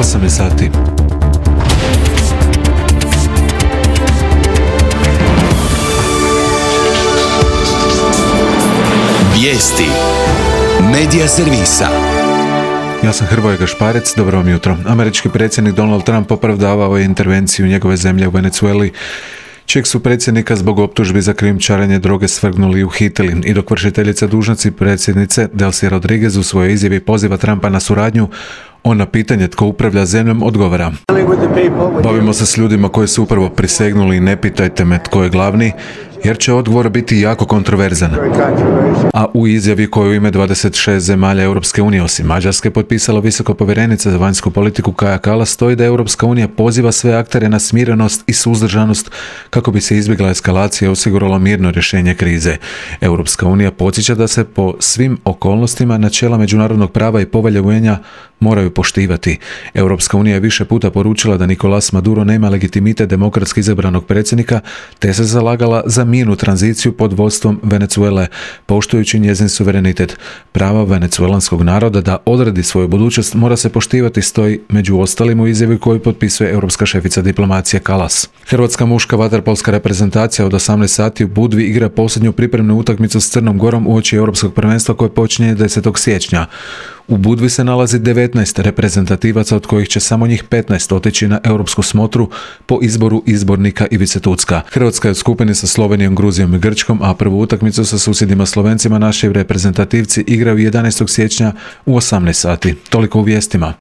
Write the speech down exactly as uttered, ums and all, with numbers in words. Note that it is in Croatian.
osam je sati. Vijesti Medija servisa. Ja sam Hrvoje Gašparec, dobro vam jutro. Američki predsjednik Donald Trump opravdavao je intervenciju njegove zemlje u Venezueli, čijeg su predsjednika zbog optužbi za krijumčarenje droge svrgnuli i uhitili. I dok vršiteljica dužnosti predsjednice Delcy Rodriguez u svojoj izjavi poziva Trumpa na suradnju, on na pitanje tko upravlja zemljom odgovara: bavimo se s ljudima koji su upravo prisegnuli i ne pitajte me tko je glavni, jer će odgovor biti jako kontroverzan. A u izjavi koju u ime dvadeset šest zemalja Europske unije osim Mađarske potpisala visoka povjerenica za vanjsku politiku Kaja Kallas stoji da Europska unija poziva sve aktere na smirenost i suzdržanost kako bi se izbjegla eskalacija i osiguralo mirno rješenje krize. Europska unija podsjeća da se po svim okolnostima načela međunarodnog prava i povelje U N-a moraju poštivati. Europska unija je više puta poručila da Nicolás Maduro nema legitimitet demokratski izabranog predsjednika, te se zalagala za mirnu tranziciju pod vodstvom Venezuele, poštujući njezin suverenitet. Prava venezuelanskog naroda da odredi svoju budućnost mora se poštivati, stoji među ostalim u izjavi koju potpisuje europska šefica diplomacije Kallas. Hrvatska muška vaterpolska reprezentacija od osamnaest sati u Budvi igra posljednju pripremnu utakmicu s Crnom Gorom uoči europskog prvenstva koje počinje desetog siječnja. U Budvi se nalazi devetnaest reprezentativaca, od kojih će samo njih petnaest otići na europsku smotru po izboru izbornika Ivice Tucka. Hrvatska je u skupini sa Slovenijom, Gruzijom i Grčkom, a prvu utakmicu sa susjedima Slovencima naši reprezentativci igraju jedanaestog siječnja u osamnaest sati. Toliko u vijestima.